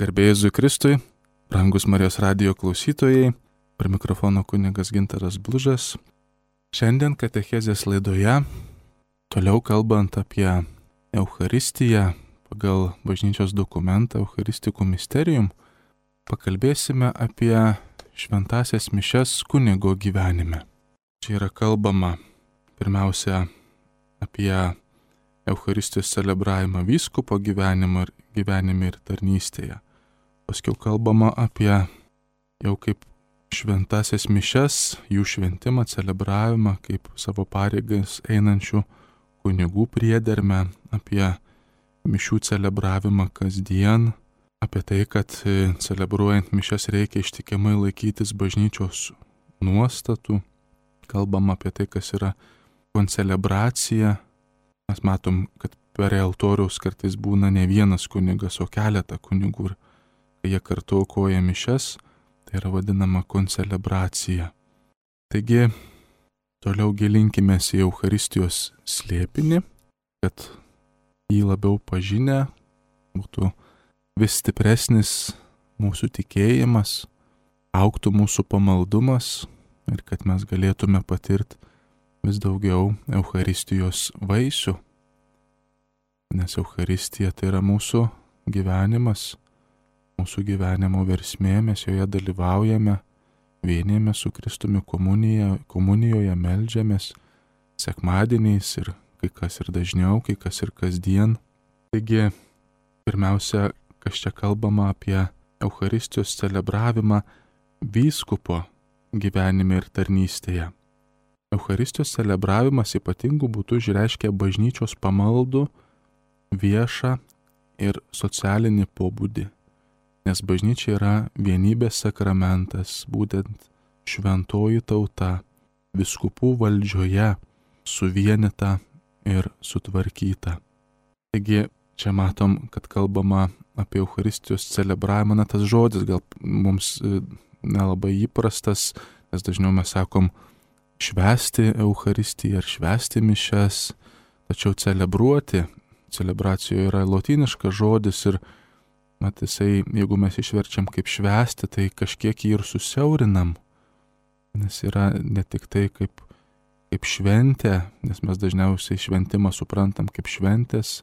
Garbė Jėzui Kristui, brangus Marijos radijo klausytojai, prie mikrofono kunigas Gintaras Blužas. Šiandien katechezės laidoje, toliau kalbant apie Eucharistiją pagal bažnyčios dokumentą Eucharistikų Mysterium, pakalbėsime apie šventąsias mišias kunigo gyvenime. Čia yra kalbama pirmiausia apie Eucharistijos celebravimą vyskupo gyvenime ir tarnystėje. Paskiau kalbama apie jau kaip šventąsias mišias, jų šventimą, celebravimą, kaip savo pareigas einančių kunigų priedermę, apie mišių celebravimą kasdien, apie tai, kad celebruojant mišias reikia ištikimai laikytis bažnyčios nuostatų. Kalbama apie tai, kas yra koncelebracija. Mes matom, kad prie altoriaus kartais būna ne vienas kunigas, o keletą kunigų. Ir kai jie kartu aukoja mišias, tai yra vadinama koncelebracija. Taigi, toliau gilinkimės į Eucharistijos slėpinį, kad jį labiau pažinę būtų vis stipresnis mūsų tikėjimas, augtų mūsų pamaldumas ir kad mes galėtume patirti vis daugiau Eucharistijos vaisių. Nes Eucharistija tai yra mūsų gyvenimas, mūsų gyvenimo versmė, mes joje dalyvaujame, vienijame su Kristumi komunijoje, meldžiamės sekmadieniais ir kai kas ir dažniau, kai kas ir kasdien. Taigi, pirmiausia, kas čia kalbama apie Eucharistijos celebravimą vyskupo gyvenime ir tarnystėje. Eucharistijos celebravimas ypatingų būdų išreiškia bažnyčios pamaldų, viešą ir socialinį pobūdį, nes bažnyčia yra vienybės sakramentas, būtent šventoji tauta, vyskupų valdžioje, suvienyta ir sutvarkyta. Taigi, čia matom, kad kalbama apie Eucharistijos celebravimą, tas žodis gal mums nelabai įprastas, nes dažniau mes sakom švęsti Eucharistiją ar švęsti mišias, tačiau celebracijoje yra lotyniškas žodis ir jisai, jeigu mes išverčiam kaip švęsti, tai kažkiek jį ir susiaurinam, nes yra ne tik tai kaip šventė, nes mes dažniausiai šventimą suprantam kaip šventės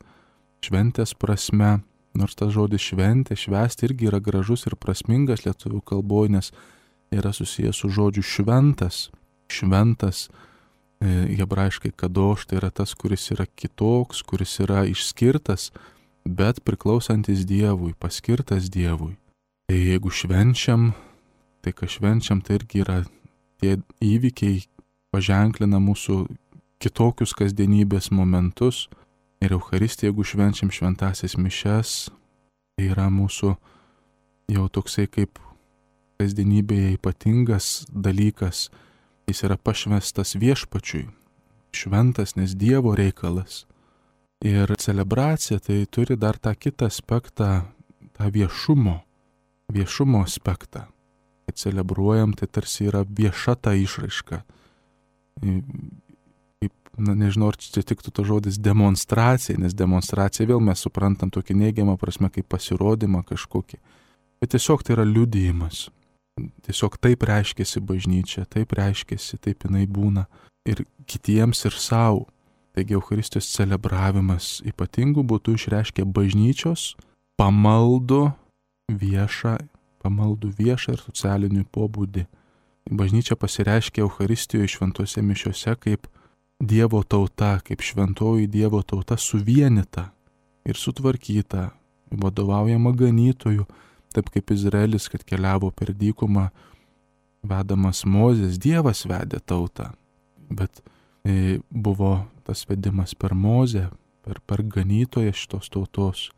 prasme, nors tas žodis šventė, švęsti irgi yra gražus ir prasmingas lietuvių kalboje, nes yra susijęs su žodžiu šventas. Šventas, hebrajiškai kadoš, tai yra tas, kuris yra kitoks, kuris yra išskirtas, bet priklausantis Dievui, paskirtas Dievui. Tai jeigu švenčiam, tai ką švenčiam, tai irgi yra tie įvykiai paženklina mūsų kitokius kasdienybės momentus. Ir Eucharistija, jeigu švenčiam šventąsias mišias, tai yra mūsų jau toksai kaip kasdienybėje ypatingas dalykas. Jis yra pašvestas viešpačiui, šventas, nes Dievo reikalas. Ir celebracija tai turi dar tą kitą aspektą, tą viešumo aspektą. Kai celebruojam, tai tarsi yra vieša ta išraiška. Nežinau, ar čia tiktų to žodis demonstracija, nes demonstracija vėl mes suprantam tokį neigiamą prasme kaip pasirodymą kažkokį. Bet tiesiog tai yra liudijimas. Tiesiog taip reiškiasi bažnyčia, taip reiškiasi, taip jinai būna ir kitiems ir savo. Taigi Eucharistijos celebravimas ypatingų būdų išreiškia bažnyčios pamaldų viešą ir socialinį pobūdį. Bažnyčia pasireiškia Eucharistijoje šventose mišiose kaip Dievo tauta, kaip šventoji Dievo tauta suvienyta ir sutvarkyta, vadovaujama ganytojų, taip kaip Izraelis, kad keliavo per dykumą, vedamas Mozės, Dievas vedė tautą, bet buvo tas vedimas per Mozę, per ganytoją šitos tautos.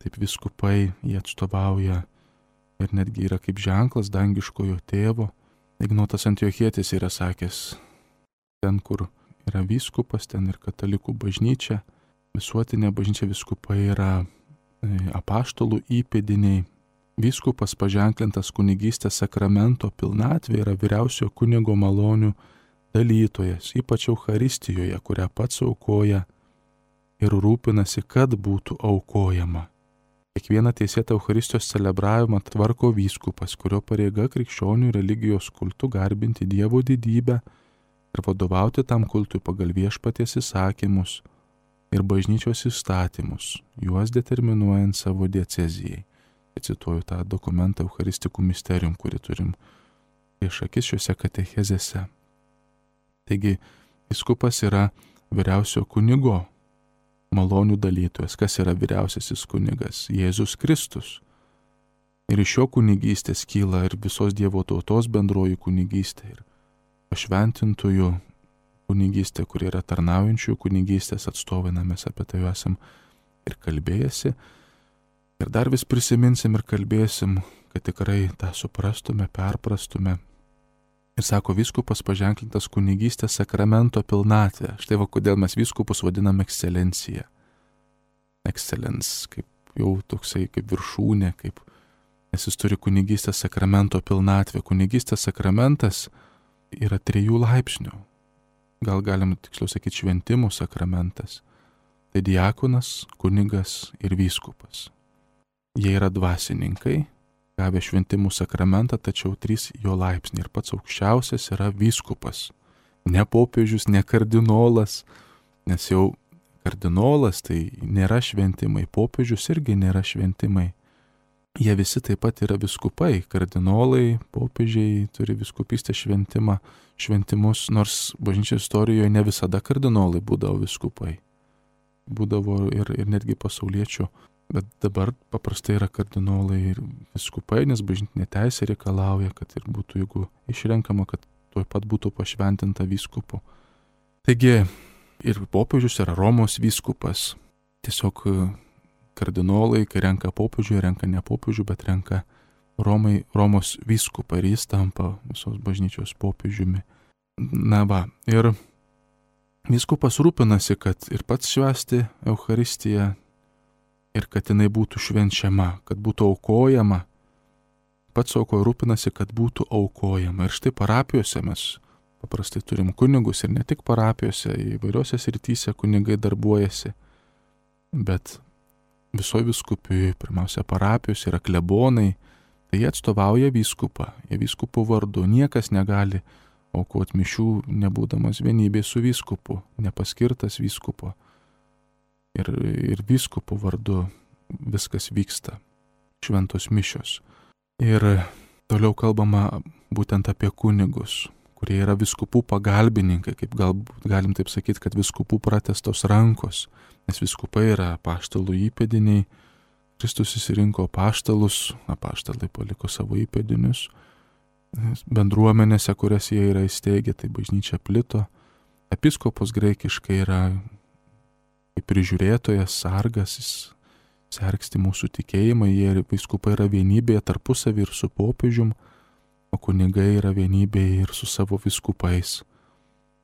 Taip vyskupai jie atstovauja ir netgi yra kaip ženklas dangiškojo tėvo. Ignotas Antiochietis yra sakęs, ten, kur yra vyskupas, ten ir katalikų bažnyčia, visuotinė bažnyčia, vyskupai yra apaštalų įpėdiniai. Vyskupas paženklintas kunigystės sakramento pilnatvė yra vyriausiojo kunigo malonių dalytojas, ypač Eucharistijoje, kurią pats aukoja ir rūpinasi, kad būtų aukojama. Kiekvieną teisėtą Eucharistijos celebravimą tvarko vyskupas, kurio pareiga krikščionių religijos kultu garbinti Dievo didybę ir vadovauti tam kultui pagal viešpaties įsakymus ir bažnyčios įstatymus, juos determinuojant savo diecezijai. Cituoju tą dokumentą Eucharisticum Mysterium, kurį turim prieš akis šiuose katechezėse. Taigi, vyskupas yra vyriausio kunigo malonių dalytojas. Kas yra vyriausiasis kunigas? Jėzus Kristus. Ir iš jo kunigystės kyla ir visos Dievo tautos bendroji kunigystė ir pašventintųjų kunigystė, kurie yra tarnaujančių kunigystės atstovai, mes apie tai esam ir kalbėjęsi. Ir dar vis prisiminsim ir kalbėsim, kad tikrai tą suprastume, perprastume. Ir sako, vyskupas paženklintas kunigystės sakramento pilnatvė. Štai va, kodėl mes vyskupus vadinam ekscelencija. Excellence, kaip jau toksai, kaip viršūnė, nes jis turi kunigystės sakramento pilnatvę. Kunigystės sakramentas yra 3 laipsnių. Gal galim tiksliau sakyti šventimų sakramentas. Tai diakonas, kunigas ir vyskupas. Jie yra dvasininkai, gavę šventimų sakramentą, tačiau 3 jo laipsniai. Ir pats aukščiausias yra vyskupas. Ne popiežius, ne kardinolas, nes jau kardinolas tai nėra šventimai, popiežius irgi nėra šventimai. Jie visi taip pat yra vyskupai, kardinolai, popiežiai turi vyskupystės šventimus, nors bažnyčios istorijoje ne visada kardinolai būdavo vyskupai. Būdavo ir netgi pasauliečių. Bet dabar paprastai yra kardinolai ir vyskupai, nes bažnytinė teisė reikalauja, kad ir būtų, jeigu išrenkama, kad tuoj pat būtų pašventinta vyskupu. Taigi ir popiežius yra Romos vyskupas. Tiesiog kardinolai, kai renka popiežių, renka ne popiežių, bet renka Romos vyskupą ir jis tampa visos bažnyčios popiežiumi. Na va, ir vyskupas rūpinasi, kad ir pats švęsti Eucharistiją, ir kad jinai būtų švenčiama, kad būtų aukojama. Pats aukoja rūpinasi, kad būtų aukojama. Ir štai parapijose mes paprastai turim kunigus ir ne tik parapijose, įvairiose srityse kunigai darbuojasi. Bet visoje vyskupijoje, pirmiausia, parapijos yra klebonai, tai jie atstovauja vyskupą, jie vyskupų vardu. Niekas negali aukoti mišių, nebūdamas vienybėje su vyskupu, nepaskirtas vyskupo. Ir vyskupų vardu viskas vyksta, šventos mišios. Ir toliau kalbama būtent apie kunigus, kurie yra vyskupų pagalbininkai, kaip galim taip sakyti, kad vyskupų pratestos rankos, nes vyskupai yra apaštalų įpėdiniai, Kristus išsirinko apaštalus, apaštalai paliko savo įpėdinius, bendruomenėse, kurias jie yra įsteigę, tai bažnyčia plito, episkopos graikiškai yra kaip prižiūrėtojas, sargas, jis sergsti mūsų tikėjimą, jie vyskupai yra vienybėje tarpusavį ir su popiežium, o kunigai yra vienybėje ir su savo vyskupais.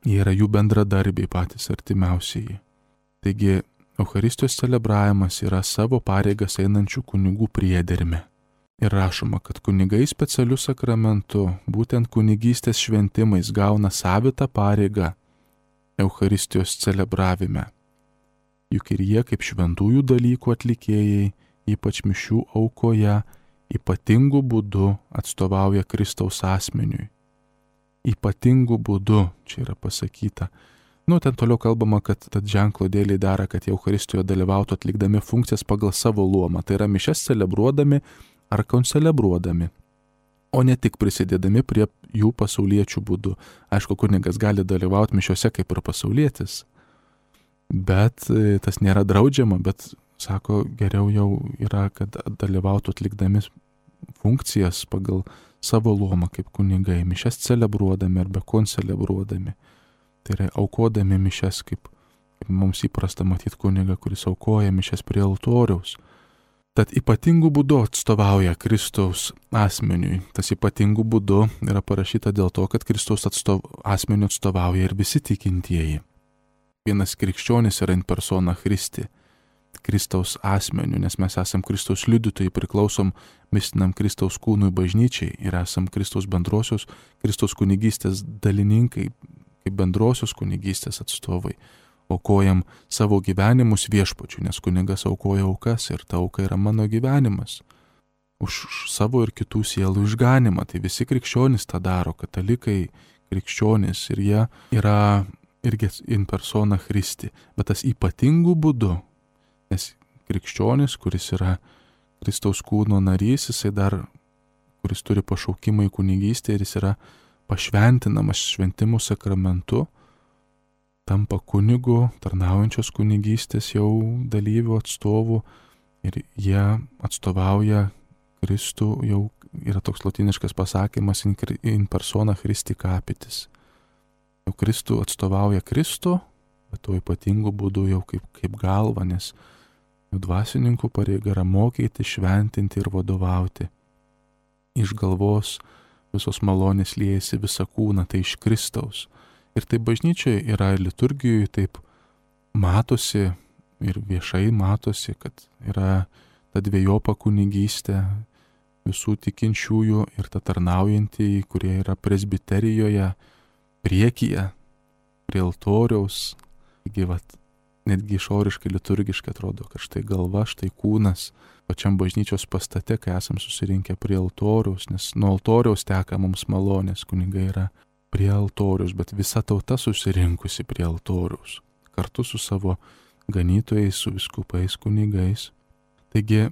Jie yra jų bendradarbiai patys artimiausiai. Taigi, Eucharistijos celebravimas yra savo pareigas einančių kunigų priedermė. Ir rašoma, kad kunigai specialiu sakramentu, būtent kunigystės šventimais, gauna savitą pareigą Eucharistijos celebravime. Juk ir jie kaip šventųjų dalykų atlikėjai, ypač mišių aukoje, ypatingų būdų atstovauja Kristaus asmeniui. Ypatingų būdų, čia yra pasakyta. Ten toliau kalbama, kad tad ženklo dėliai dera, kad jie Eucharistijoje dalyvautų atlikdami funkcijas pagal savo luomą. Tai yra mišias celebruodami ar koncelebruodami, o ne tik prisidėdami prie jų pasauliečių būdų. Aišku, kunigas gali dalyvauti mišiuose kaip ir pasaulietis. Bet tas nėra draudžiama, bet, sako, geriau jau yra, kad dalyvautų atlikdami funkcijas pagal savo luomą kaip kunigai, mišias celebruodami arba koncelebruodami. Tai yra aukodami mišias, kaip mums įprasta matyti kunigą, kuris aukoja mišias prie altoriaus. Tad ypatingų būdų atstovauja Kristaus asmeniui. Tas ypatingų būdų yra parašyta dėl to, kad Kristaus asmeniu atstovauja ir visi tikintieji. Vienas krikščionis yra in persona Christi, Kristaus asmeniu, nes mes esam Kristaus liudytojai, priklausom mistiniam Kristaus kūnui bažnyčiai ir esam Kristaus bendrosios, Kristaus kunigystės dalininkai, kaip bendrosios kunigystės atstovai. aukojam savo gyvenimus viešpačiui, nes kunigas aukoja aukas ir ta auka yra mano gyvenimas. Už savo ir kitų sielų išganimą. Tai visi krikščionys tą daro, katalikai, krikščionys ir jie yra irgi in persona Christi, bet tas ypatingų būdu, nes krikščionis, kuris yra Kristaus kūno narys, jisai dar, kuris turi pašaukimą į kunigystę ir jis yra pašventinamas šventimų sakramentu, tampa kunigu, tarnaujančios kunigystės jau dalyvių atstovų ir jie atstovauja Kristų, jau yra toks lotyniškas pasakymas in persona Christi capitis. Jau Kristų atstovauja Kristų, bet to ypatingų būdų jau kaip galva, nes jų dvasininkų pareiga yra mokyti, šventinti ir vadovauti. Iš galvos visos malonės liejasi visą kūną, tai iš Kristaus. Ir tai bažnyčioje yra liturgijoje, taip matosi ir viešai matosi, kad yra ta dvejopa kunigystė visų tikinčiųjų ir ta tarnaujantieji, kurie yra presbiterijoje, priekyje, prie altoriaus. Taigi, netgi išoriškai liturgiškai atrodo, kad štai galva, štai kūnas, pačiam bažnyčios pastate, kai esam susirinkę prie altoriaus, nes nuo altoriaus teka mums malonės, kunigai yra prie altoriaus, bet visa tauta susirinkusi prie altoriaus, kartu su savo ganytojais, su viskupais, kunigais. Taigi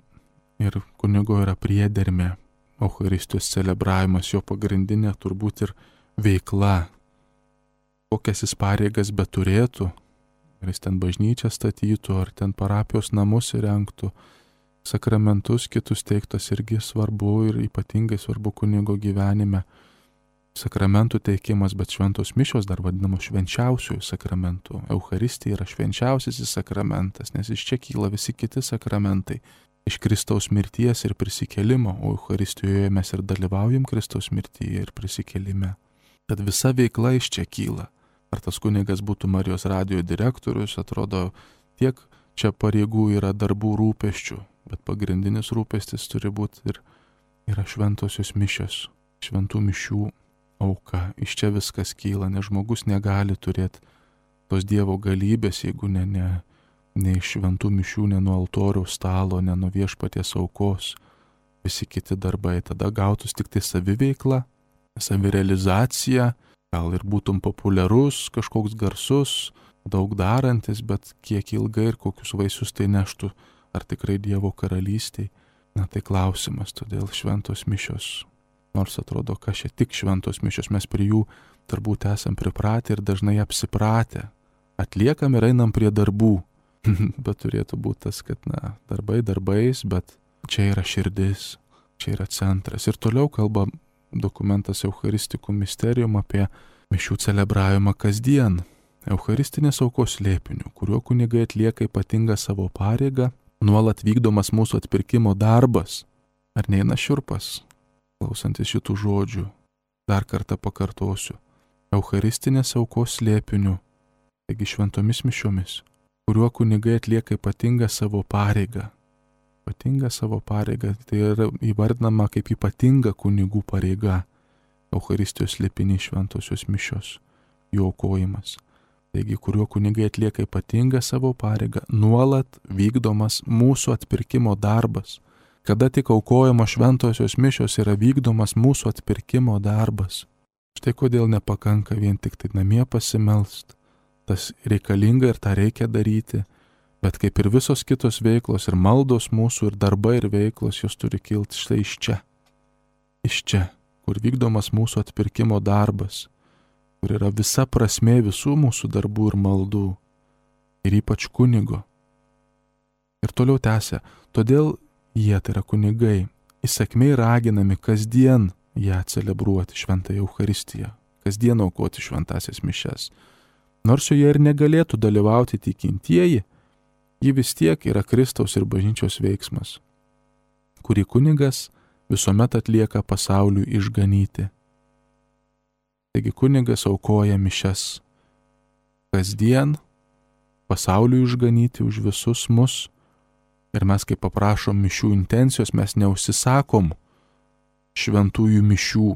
ir kunigo yra priedermė, Eucharistijos celebravimas, jo pagrindinė turbūt ir veikla, kokias jis pareigas beturėtų, ar jis ten bažnyčią statytų, ar ten parapijos namus įrengtų, sakramentus kitus teiktas irgi svarbu ir ypatingai svarbu kunigo gyvenime. Sakramentų teikimas, bet šventos mišios dar vadinamos švenčiausiųjų sakramentų. Eucharistija yra švenčiausiasis sakramentas, nes iš čia kyla visi kiti sakramentai. Iš Kristaus mirties ir prisikėlimo, o Eucharistijoje mes ir dalyvaujam Kristaus mirtyje ir prisikėlime. Tad visa veikla iš čia kyla. Ar tas kunigas būtų Marijos radijo direktorius, atrodo, tiek čia pareigų yra darbų rūpesčių, bet pagrindinis rūpestis turi būti ir yra šventosios mišios, šventų mišių auka. Iš čia viskas kyla, nes žmogus negali turėti tos Dievo galybės, jeigu ne iš šventų mišių, ne nuo altoriaus stalo, ne nuo viešpaties aukos. Visi kiti darbai tada gautus tik tai saviveikla, savirealizacija, gal ir būtum populiarus, kažkoks garsus, daug darantis, bet kiek ilgai ir kokius vaisius tai neštų, ar tikrai Dievo karalystėj. Na tai klausimas, todėl šventos mišios. Nors atrodo, kad čia tik šventos mišios, mes prie jų turbūt esam pripratę ir dažnai apsipratę. Atliekam ir einam prie darbų. Bet turėtų būti tas, kad darbai darbais, bet čia yra širdis, čia yra centras. Ir toliau kalba dokumentas Eucharistikų Mysterium apie mišių celebravimą kasdien. Eucharistinės aukos slėpiniu, kuriuo kunigai atlieka ypatingą savo pareigą, nuolat vykdomas mūsų atpirkimo darbas. Ar neina šiurpas, klausantis šitų žodžių? Dar kartą pakartosiu. Eucharistinės aukos slėpiniu, taigi šventomis mišiomis, kuriuo kunigai atlieka ypatingą savo pareigą. Ypatinga savo pareiga, tai yra įvardinama kaip ypatinga kunigų pareiga. Eucharistijos slėpiniai šventosios mišios, jų aukojimas. Taigi, kuriuo kunigai atlieka ypatingą savo pareigą, nuolat vykdomas mūsų atpirkimo darbas. Kada tik aukojama šventosios mišios yra vykdomas mūsų atpirkimo darbas. Štai kodėl nepakanka vien tik tai namie pasimelst. Tas reikalinga ir tą reikia daryti. Bet kaip ir visos kitos veiklos ir maldos mūsų ir darbai ir veiklos, jos turi kilti štai iš čia. Iš čia, kur vykdomas mūsų atpirkimo darbas, kur yra visa prasmė visų mūsų darbų ir maldų. Ir ypač kunigo. Ir toliau tęsia, todėl jie, tai yra kunigai, įsakmiai raginami kasdien ją celebruoti šventąją Eucharistiją, kasdien aukoti šventąsias mišias. Nors joje ir negalėtų dalyvauti tikintieji, ji vis tiek yra Kristaus ir bažnyčios veiksmas, kurį kunigas visuomet atlieka pasauliui išganyti. Taigi kunigas aukoja mišias kasdien, pasauliui išganyti už visus mus, ir mes kai paprašom mišių intencijos, mes neužsisakom šventųjų mišių,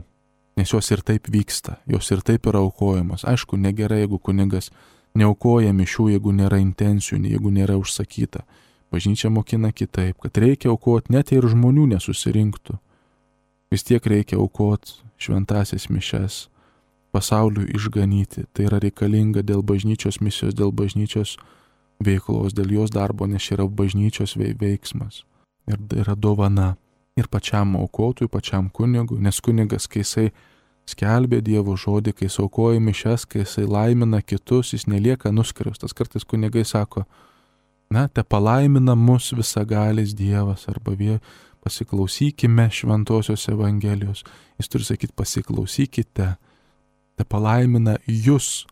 nes jos ir taip vyksta, jos ir taip yra aukojamos. Aišku, negerai, jeigu kunigas neaukoja mišių, jeigu nėra intencijų, jeigu nėra užsakyta. Bažnyčia mokina kitaip, kad reikia aukoti net ir žmonių nesusirinktų. Vis tiek reikia aukoti šventasias mišias, pasauliui išganyti. Tai yra reikalinga dėl bažnyčios misijos, dėl bažnyčios veiklos, dėl jos darbo, nes yra bažnyčios veiksmas. Ir yra dovana. Ir pačiam aukotojui, pačiam kunigui, nes kunigas, kai jisai skelbė Dievo žodį, kai jis aukoja mišias, kai jisai laimina kitus, jis nelieka nuskriaustas. Kartais kunigai sako, te palaimina mus visagalis Dievas, arba pasiklausykime šventosios Evangelijos. Jis turi sakyti, pasiklausykite, te palaimina jūs.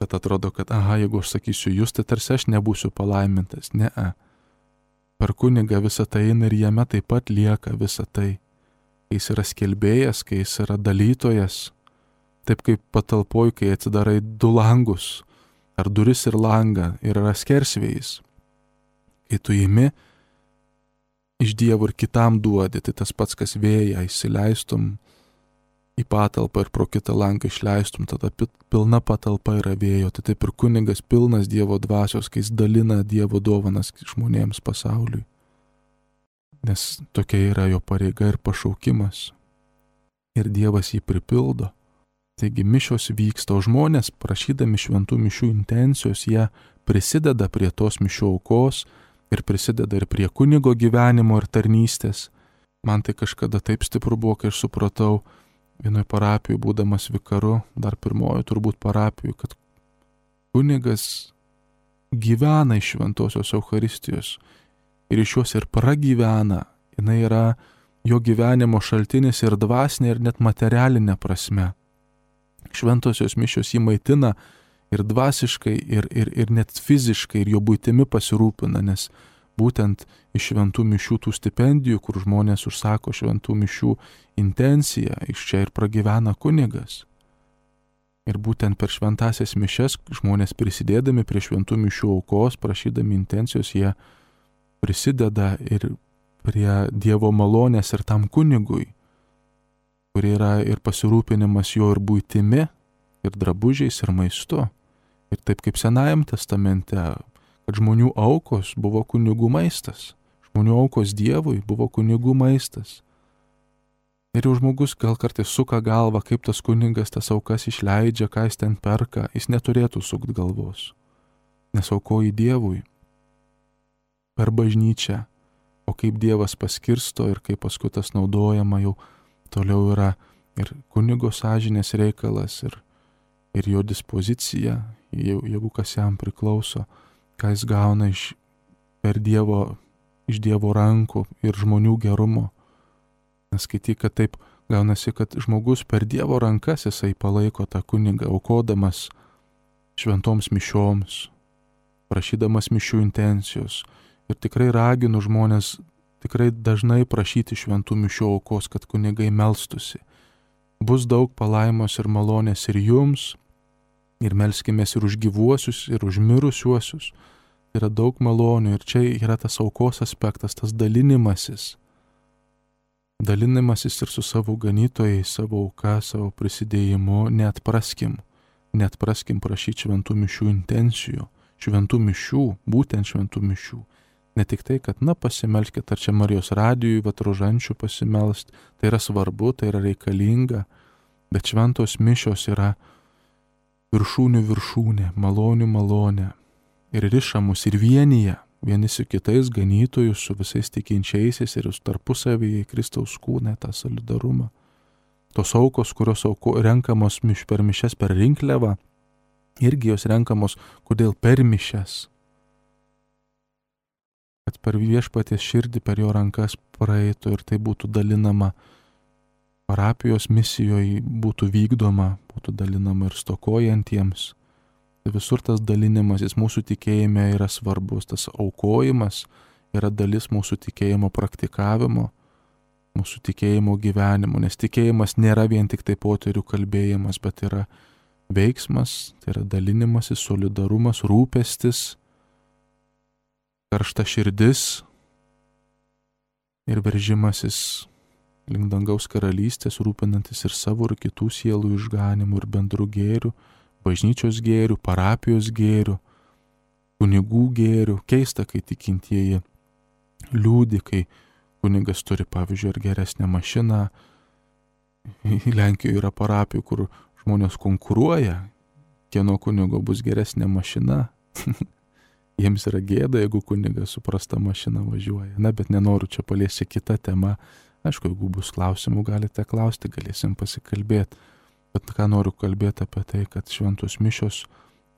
Bet atrodo, kad, jeigu aš sakysiu jūs, tai tarsi aš nebūsiu palaimintas. Per kunigą visą tai eina ir jame taip pat lieka visą tai. Kai jis yra skelbėjas, kai jis yra dalytojas, taip kaip patalpoj, kai atsidarai 2 langus, ar duris ir langą, ir yra skersvėjis. Kai tu imi iš Dievo ir kitam duodi, tai tas pats, kas vėją įsileistum į patalpą ir pro kitą langą išleistum, tada pilna patalpa yra vėjo. Tai taip ir kunigas pilnas Dievo dvasios, kai jis dalina Dievo dovanas žmonėms pasauliui. Nes tokia yra jo pareiga ir pašaukimas. Ir Dievas jį pripildo. Taigi mišios vyksta, o žmonės, prašydami šventų mišių intencijos, jie prisideda prie tos mišių aukos ir prisideda ir prie kunigo gyvenimo ir tarnystės. Man tai kažkada taip stipru buvo, kai aš supratau, vienoje parapijoje būdamas vikaru, dar pirmojo turbūt parapijoje, kad kunigas gyvena iš šventosios Eucharistijos ir iš jos ir pragyvena. Jinai yra jo gyvenimo šaltinis ir dvasinė, ir net materialinė prasme. Šventosios mišios jį maitina ir dvasiškai, ir net fiziškai, ir jo buitimi pasirūpina, nes būtent iš šventų mišių tų stipendijų, kur žmonės užsako šventų mišių intenciją, iš čia ir pragyvena kunigas. Ir būtent per šventasias mišias žmonės prisidėdami prie šventų mišių aukos, prašydami intencijos, jie prisideda ir prie Dievo malonės ir tam kunigui, kur yra ir pasirūpinimas jo ir buitimi, ir drabužiais, ir maistu. Ir taip kaip Senajam testamente, kad žmonių aukos buvo kunigų maistas. Žmonių aukos Dievui buvo kunigų maistas. Ir jau žmogus gal kartais suka galvą, kaip tas kunigas tas aukas išleidžia, ką jis ten perka, jis neturėtų sukti galvos. Nes aukoji Dievui per bažnyčią, o kaip Dievas paskirsto ir kaip paskui tas naudojama jau toliau yra ir kunigo sąžinės reikalas, ir jo dispozicija, jeigu kas jam priklauso, ką jis gauna iš Dievo rankų ir žmonių gerumo. Neskaityk, kad taip gaunasi, kad žmogus per Dievo rankas jisai palaiko tą kunigą, aukodamas šventoms mišioms, prašydamas mišių intencijos. Ir tikrai raginu žmonės tikrai dažnai prašyti šventų mišių aukos, kad kunigai melstusi. Bus daug palaimos ir malonės ir jums, ir melskimės ir už gyvuosius, ir už mirusiuosius. Yra daug malonių ir čia yra tas aukos aspektas, tas dalinimasis. Dalinimasis ir su savo ganytojai, savo auka, savo prisidėjimu, neatpraskim prašyti šventų mišių intencijų, šventų mišių, būtent šventų mišių. Ne tik tai, kad, pasimelskit, ar čia Marijos radijui, rožančių pasimelst, tai yra svarbu, tai yra reikalinga, bet šventos mišios yra viršūnių viršūnė, malonių malonė. Ir riša mus ir vienyje, vieni su kitais ganytojus, su visais tikinčiaisiais ir tarpusavyje Kristaus kūne, tą solidarumą. Tos aukos, kurios renkamos per mišias per rinkliavą, irgi jos renkamos, kodėl per mišias. Kad per viešpaties širdį, per jo rankas praeitų ir tai būtų dalinama parapijos misijoje, būtų vykdoma, būtų dalinama ir stokojantiems. Tai visur tas dalinimasis mūsų tikėjime yra svarbus, tas aukojimas yra dalis mūsų tikėjimo praktikavimo, mūsų tikėjimo gyvenimo, nes tikėjimas nėra vien tik tai poterių kalbėjimas, bet yra veiksmas, tai yra dalinimasis, solidarumas, rūpestis, karšta širdis ir veržimasis link dangaus karalystės, rūpinantis ir savo ir kitų sielų išganimu ir bendrų gėrių, bažnyčios gėrių, parapijos gėrių, kunigų gėrių. Keista, kai tikintieji liūdi, kai kunigas turi, pavyzdžiui, ar geresnę mašiną. Lenkijoje yra parapijų, kur žmonės konkuruoja, kieno kunigo bus geresnė mašina. Jiems yra gėda, jeigu kunigas su prasta mašina važiuoja. Na, bet nenoriu čia paliesti kitą temą. Aišku, jeigu bus klausimų, galite klausti, galėsim pasikalbėti. Bet ką noriu kalbėti apie tai, kad šventos mišios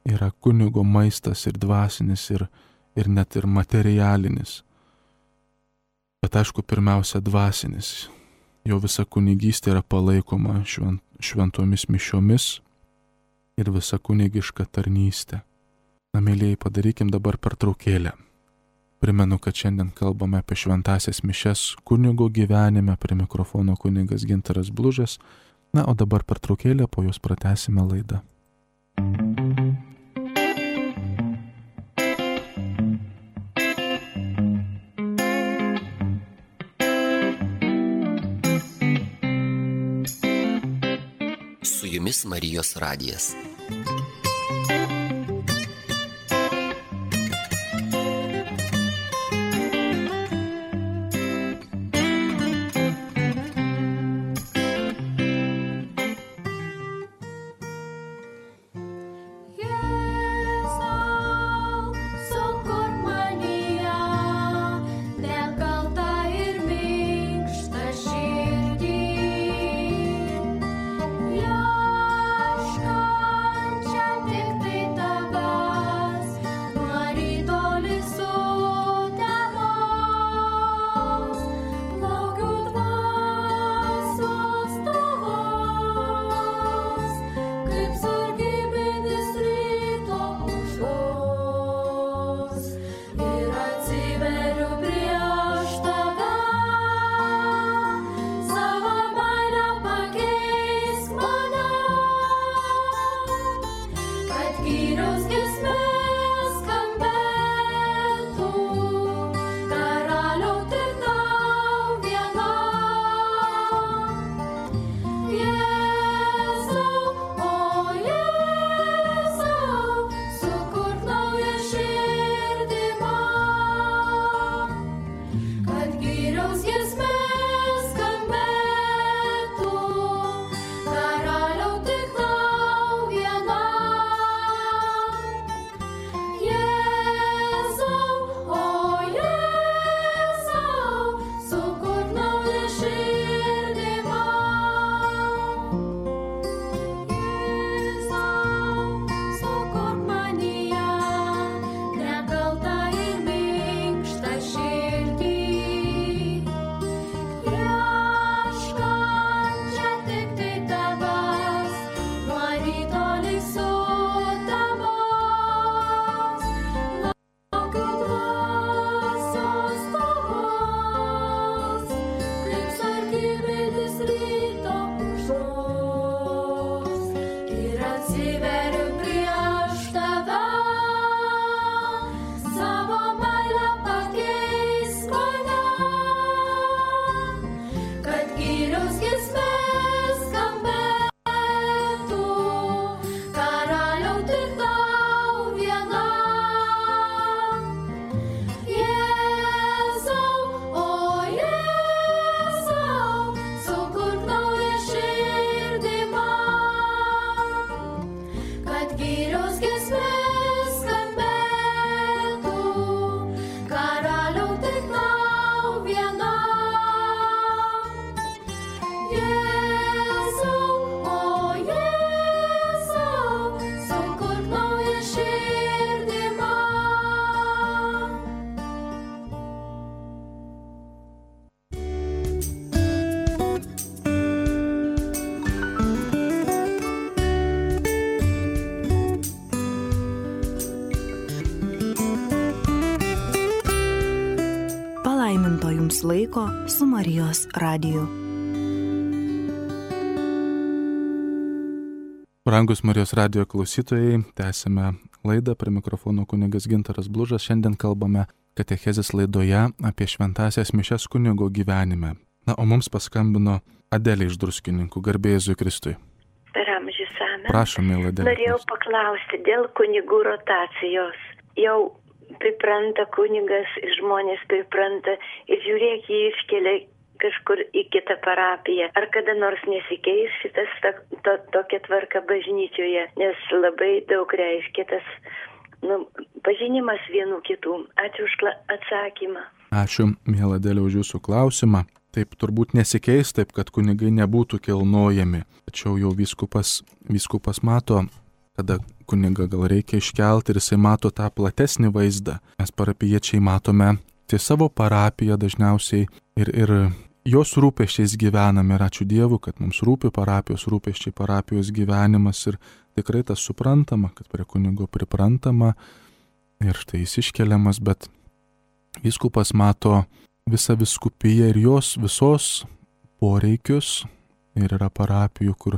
yra kunigo maistas ir dvasinis, ir net ir materialinis. Bet aišku, pirmiausia, dvasinis. Jo visa kunigystė yra palaikoma šventomis mišiomis ir visa kunigiška tarnystė. Na, mėlyjei, padarykim dabar pertraukėlę. Primenu, kad šiandien kalbame apie šventąsias mišias kunigo gyvenime, prie mikrofono kunigas Gintaras Blužas. Na, o dabar pertraukėlę, po jos pratęsime laidą. Su jumis Marijos radijas. Jums laiko su Marijos radiju. Brangus Marijos radijo klausytojai, tęsime laidą, prie mikrofono kunigas Gintaras Blužas. Šiandien kalbame katechezės laidoje apie šventąsias mišias kunigo gyvenime. Na, o mums paskambino Adelė iš Druskininkų. Garbė Jėzui Kristui. Per amžius amen. Prašom, mėla Adelė. Norėjau paklausti dėl kunigų rotacijos. Jau pripranta kunigas, žmonės pripranta ir žiūrėk, jį iškelia kažkur į kitą parapiją. Ar kada nors nesikeis šitas tokia tvarka bažnyčioje, nes labai daug reiškia tas pažinimas vienų kitų. Ačiū už atsakymą. Ačiū, mėla Adelė, už jūsų klausimą. Taip turbūt nesikeis, taip kad kunigai nebūtų kilnojami. Tačiau jau vyskupas mato, kada kunigą gal reikia iškelti ir jisai mato tą platesnį vaizdą. Mes parapijiečiai matome tai savo parapiją dažniausiai ir jos rūpesčiais gyvename. Ir ačiū Dievui, kad mums rūpi parapijos rūpesčiai, parapijos gyvenimas ir tikrai tas suprantama, kad prie kunigo priprantama ir štai jis iškeliamas, bet vyskupas mato visą vyskupiją ir jos visos poreikius ir yra parapijų, kur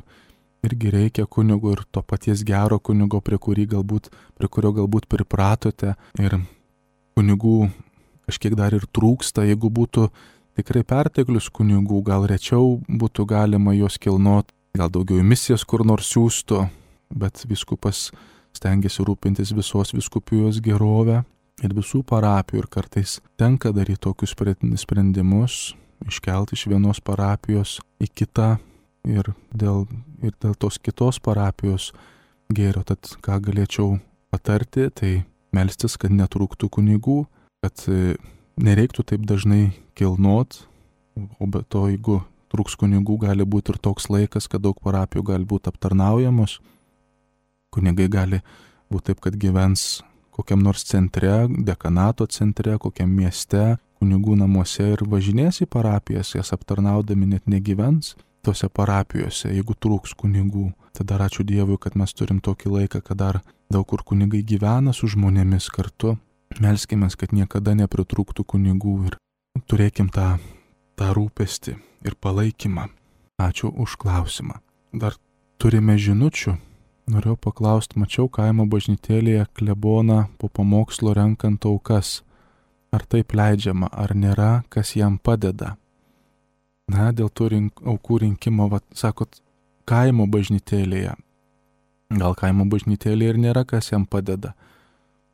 irgi reikia kunigo ir to paties gero kunigo, prie kurio galbūt pripratote ir kunigų kažkiek dar ir trūksta. Jeigu būtų tikrai perteklius kunigų, gal rečiau būtų galima juos kilnoti, gal daugiau į misijas kur nors siųstų, bet vyskupas stengiasi rūpintis visos vyskupijos gerovę ir visų parapijų ir kartais tenka daryti tokius sprendimus, iškelti iš vienos parapijos į kitą ir dėl tos kitos parapijos gėrio. Tad ką galėčiau patarti, tai melstis, kad netrūktų kunigų, kad nereiktų taip dažnai kilnot, o be to, jeigu trūks kunigų, gali būti ir toks laikas, kad daug parapijų gali būti aptarnaujamos. Kunigai gali būti taip, kad gyvens kokiam nors centre, dekanato centre, kokiam mieste, kunigų namuose ir važinės į parapijas, jas aptarnaudami net negyvens tose parapijose, jeigu trūks kunigų. Tada ačiū Dievui, kad mes turim tokį laiką, kad dar daug kur kunigai gyvena su žmonėmis kartu. Melskimės, kad niekada nepritrūktų kunigų ir turėkim tą rūpestį ir palaikymą. Ačiū už klausimą. Dar turime žinučių. Norėjau paklausti, mačiau kaimo bažnytėlėje kleboną po pamokslo renkant aukas. Ar taip leidžiama, ar nėra, kas jam padeda? Na, dėl tų aukų rinkimo, sakot, kaimo bažnytėlėje. Gal kaimo bažnytėlėje ir nėra, kas jam padeda.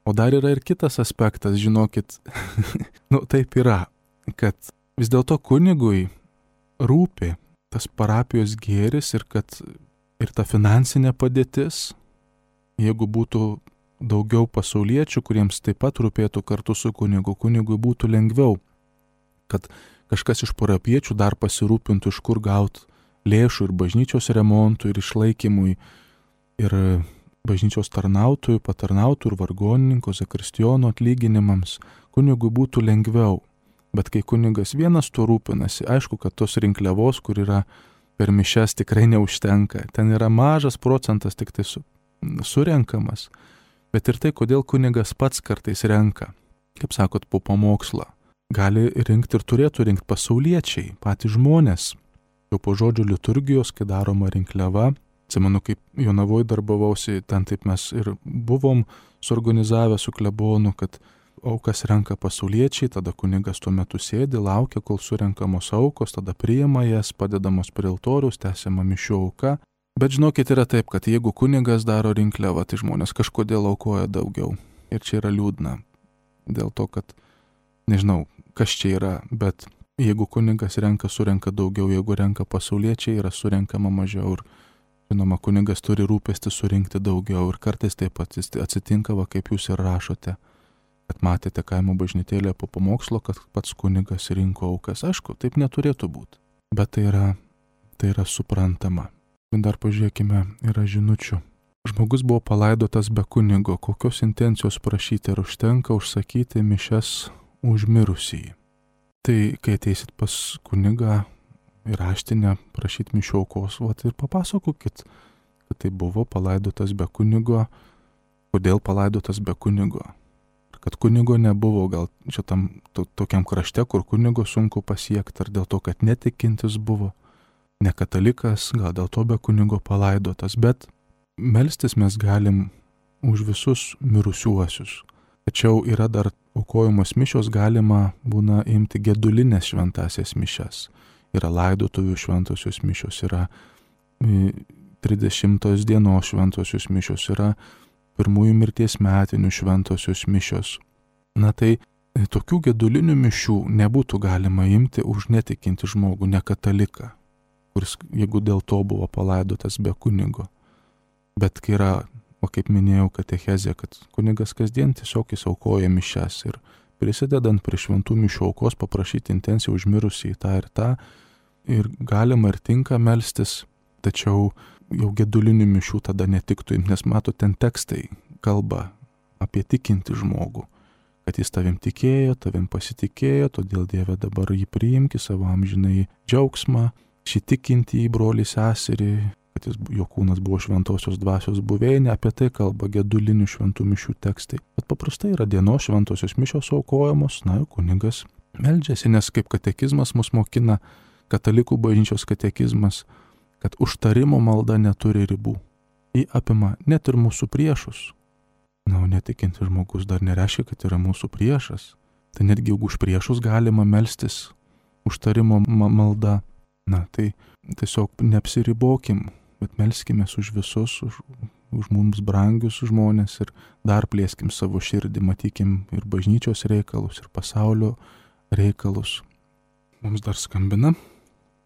O dar yra ir kitas aspektas, žinokit, taip yra, kad vis dėlto kunigui rūpi tas parapijos gėris ir kad ir ta finansinė padėtis, jeigu būtų daugiau pasauliečių, kuriems taip pat rūpėtų kartu su kunigu, kunigui būtų lengviau, kad kažkas iš parapiečių dar pasirūpintų, iš kur gauti lėšų ir bažnyčios remontui, ir išlaikymui, ir bažnyčios tarnautojų, patarnautojų ir vargonininko, zakristijono atlyginimams, kunigui būtų lengviau. Bet kai kunigas vienas tuo rūpinasi, aišku, kad tos rinkliavos, kur yra per mišias, tikrai neužtenka. Ten yra mažas procentas tik tai surenkamas. Bet ir tai, kodėl kunigas pats kartais renka, kaip sakot, po pamokslą. Gali rinkti ir turėtų rinkti pasauliečiai, patys žmonės. Jau po žodžio liturgijos, kai daroma rinkliava, atsimenu, kaip Jonavoje darbavausi, ten taip mes ir buvom suorganizavę su klebonu, kad aukas renka pasauliečiai, tada kunigas tuo metu sėdi, laukia, kol surenkamos aukos, tada priima jas, padedamos prie altoriaus, tęsiama mišių auka. Bet žinokit, yra taip, kad jeigu kunigas daro rinkliavą, tai žmonės kažkodėl aukoja daugiau. Ir čia yra liūdna. Dėl to, kad nežinau, kas čia yra, bet jeigu kunigas surenka daugiau, jeigu renka pasauliečiai, yra surenkama mažiau. Ir žinoma, kunigas turi rūpestį surinkti daugiau. Ir kartais taip pat atsitinka, kaip jūs ir rašote, kad matėte kaimo bažnytėlėje po pamokslo, kad pats kunigas rinko aukas. Aišku, taip neturėtų būti, bet tai yra suprantama. Dar pažiūrėkime, yra žinučių. Žmogus buvo palaidotas be kunigo, kokios intencijos prašyti, ar užtenka užsakyti mišias už mirusįjį. Tai kai ateisit pas kunigą ir raštinę prašyti mišių aukos, ir papasakokit, kad tai buvo palaidotas be kunigo, kodėl palaidotas be kunigo. Kad kunigo nebuvo gal šitam tokiam krašte, kur kunigo sunku pasiekti, ar dėl to, kad netikintis buvo, ne katalikas, gal dėl to be kunigo palaidotas, bet melstis mes galim už visus mirusiuosius. Tačiau yra dar aukojamos mišios, galima būna imti gedulinės šventasias mišias. Yra laidotuvių šventosios mišios, yra 30 dienos šventosios mišios, yra pirmųjų mirties metinių šventosios mišios. Na tai tokių gedulinių mišių nebūtų galima imti už netikinti žmogų, ne kataliką, kuris, jeigu dėl to buvo palaidotas be kunigo. Bet kai yra, o kaip minėjau, katechezė, kad kunigas kasdien tiesiog jis aukoja mišias ir prisidedant prie šventų mišių aukos paprašyti intenciją užmirusį tą ir tą, ir galima ir tinka melstis, tačiau jau gedulinių mišių tada netiktų, nes mato, ten tekstai kalba apie tikinti žmogų, kad jis tavim tikėjo, tavim pasitikėjo, todėl Dieve dabar jį priimki savo amžinai džiaugsmą, šį tikintį brolį seserį, kad jo kūnas buvo šventosios dvasios buveinė, apie tai kalba gedulinių šventų mišių tekstai. Bet paprastai yra dienos šventosios mišios aukojamos, na, kunigas meldžiasi, nes kaip katekizmas mus mokina, katalikų bažnyčios katekizmas, kad užtarimo malda neturi ribų. Ji apima net ir mūsų priešus. Na, o netikinti žmogus dar nereiškia, kad yra mūsų priešas. Tai netgi už priešus galima melstis užtarimo malda. Na, tai tiesiog neapsiribokim, bet melskime už visus, už mums brangius žmonės ir dar plėskim savo širdį, matykim ir bažnyčios reikalus, ir pasaulio reikalus. Mums dar skambina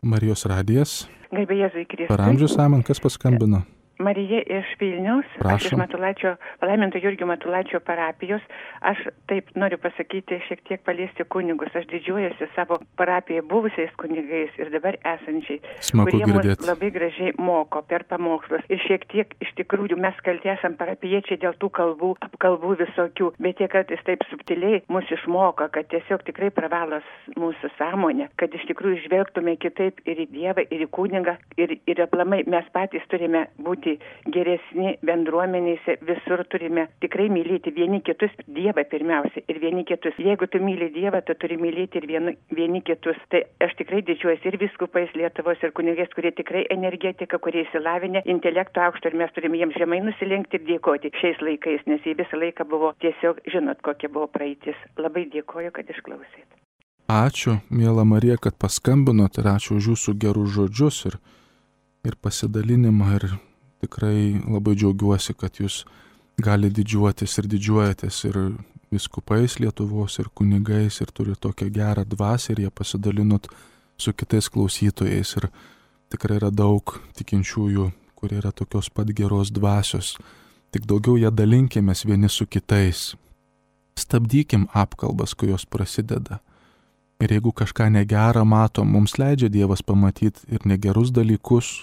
Marijos radijas. Garbė Jėzui Kristui. Per amžius amen, kas paskambino? Marija iš Vilniaus, aš iš Matulaičio, palaiminto Jurgio Matulaičio parapijos. Aš taip noriu pasakyti, šiek tiek paliesti kunigus. Aš didžiuojuosi savo parapijoje buvusiais kunigais ir dabar esančiai, Smagu kurie mus girdėti. labai gražiai moko per pamokslus. Ir šiek tiek iš tikrųjų mes kalti esam parapijiečiai dėl tų kalbų, apkalbų visokių, bet jie kartais taip subtiliai mus išmoko, kad tiesiog tikrai pravalos mūsų sąmonę, kad iš tikrųjų žvelgtume kitaip ir į Dievą, ir į kunigą, ir aplamai mes patys turime būti geresni bendruomenėse, visur turime tikrai mylėti vieni kitus, Dievą pirmiausia ir vieni kitus. Jeigu tu myli Dievą, tu turi mylėti ir vieni kitus. Tai aš tikrai didžiuojuosi ir vyskupais Lietuvos, ir kunigais, kurie tikrai energetika, kurie įsilavinę, intelekto aukšto, ir mes turime jiems žemai nusilenkti ir dėkoti šiais laikais, nes jie visą laiką buvo tiesiog, žinot, kokia buvo praeitis. Labai dėkoju, kad išklausėt. Ačiū, miela Marija, kad paskambinot ir ačiū už jūsų gerus žodžius ir pasidalinimą ir tikrai labai džiaugiuosi, kad jūs gali didžiuotis ir didžiuojatės ir vyskupais Lietuvos, ir kunigais, ir turi tokią gerą dvasią, ir jie pasidalinot su kitais klausytojais. Ir tikrai yra daug tikinčiųjų, kurie yra tokios pat geros dvasios. Tik daugiau ją dalinkimės vieni su kitais. Stabdykim apkalbas, kai jos prasideda. Ir jeigu kažką negerą matom, mums leidžia Dievas pamatyti ir negerus dalykus,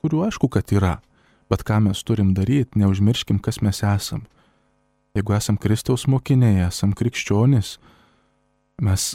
kurių aišku, kad yra. Bet ką mes turim daryti, neužmirškim, kas mes esam. Jeigu esam Kristaus mokiniai, esam krikščionys, mes,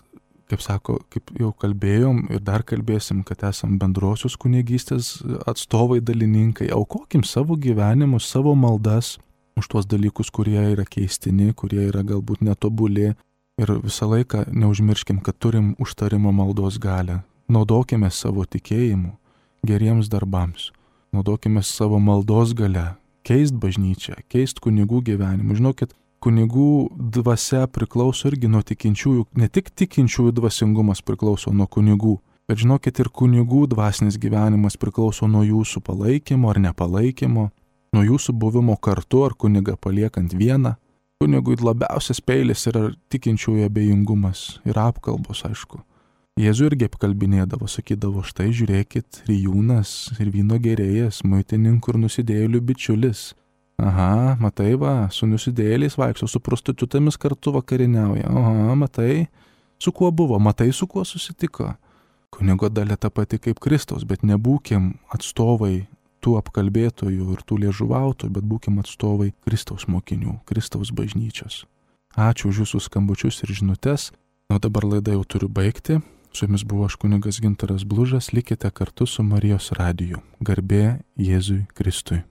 kaip jau kalbėjom ir dar kalbėsim, kad esam bendrosios kunigystės atstovai, dalininkai, aukokim savo gyvenimus, savo maldas už tuos dalykus, kurie yra keistini, kurie yra galbūt netobuli. Ir visą laiką neužmirškim, kad turim užtarimo maldos galią. Naudokime savo tikėjimu geriems darbams. Naudokime savo maldos gale, keist bažnyčią, keist kunigų gyvenimą. Žinokit, kunigų dvasia priklauso irgi nuo tikinčiųjų, ne tik tikinčiųjų dvasingumas priklauso nuo kunigų, bet žinokit, ir kunigų dvasinis gyvenimas priklauso nuo jūsų palaikymo ar nepalaikymo, nuo jūsų buvimo kartu ar kunigą paliekant vieną. Kunigui labiausias peilis yra tikinčiųjų abejingumas ir apkalbos, aišku. Jėzų irgi apkalbinėdavo, sakydavo, štai žiūrėkit, rijūnas ir vyno gerėjas, muitininkų ir nusidėjėlių bičiulis. Aha, matai va, su nusidėjėliais vaikšto, su prostitutėmis kartu vakarieniauja. Aha, matai, su kuo buvo, matai, su kuo susitiko. Kunigo dalia ta pati kaip Kristaus, bet nebūkim atstovai tų apkalbėtojų ir tų liežuvautojų, bet būkim atstovai Kristaus mokinių, Kristaus bažnyčios. Ačiū už jūsų skambučius ir žinutes. O dabar laidą jau turiu baigti. Su jumis buvo aš kunigas Gintaras Blužas, likite kartu su Marijos radiju. Garbė Jėzui Kristui.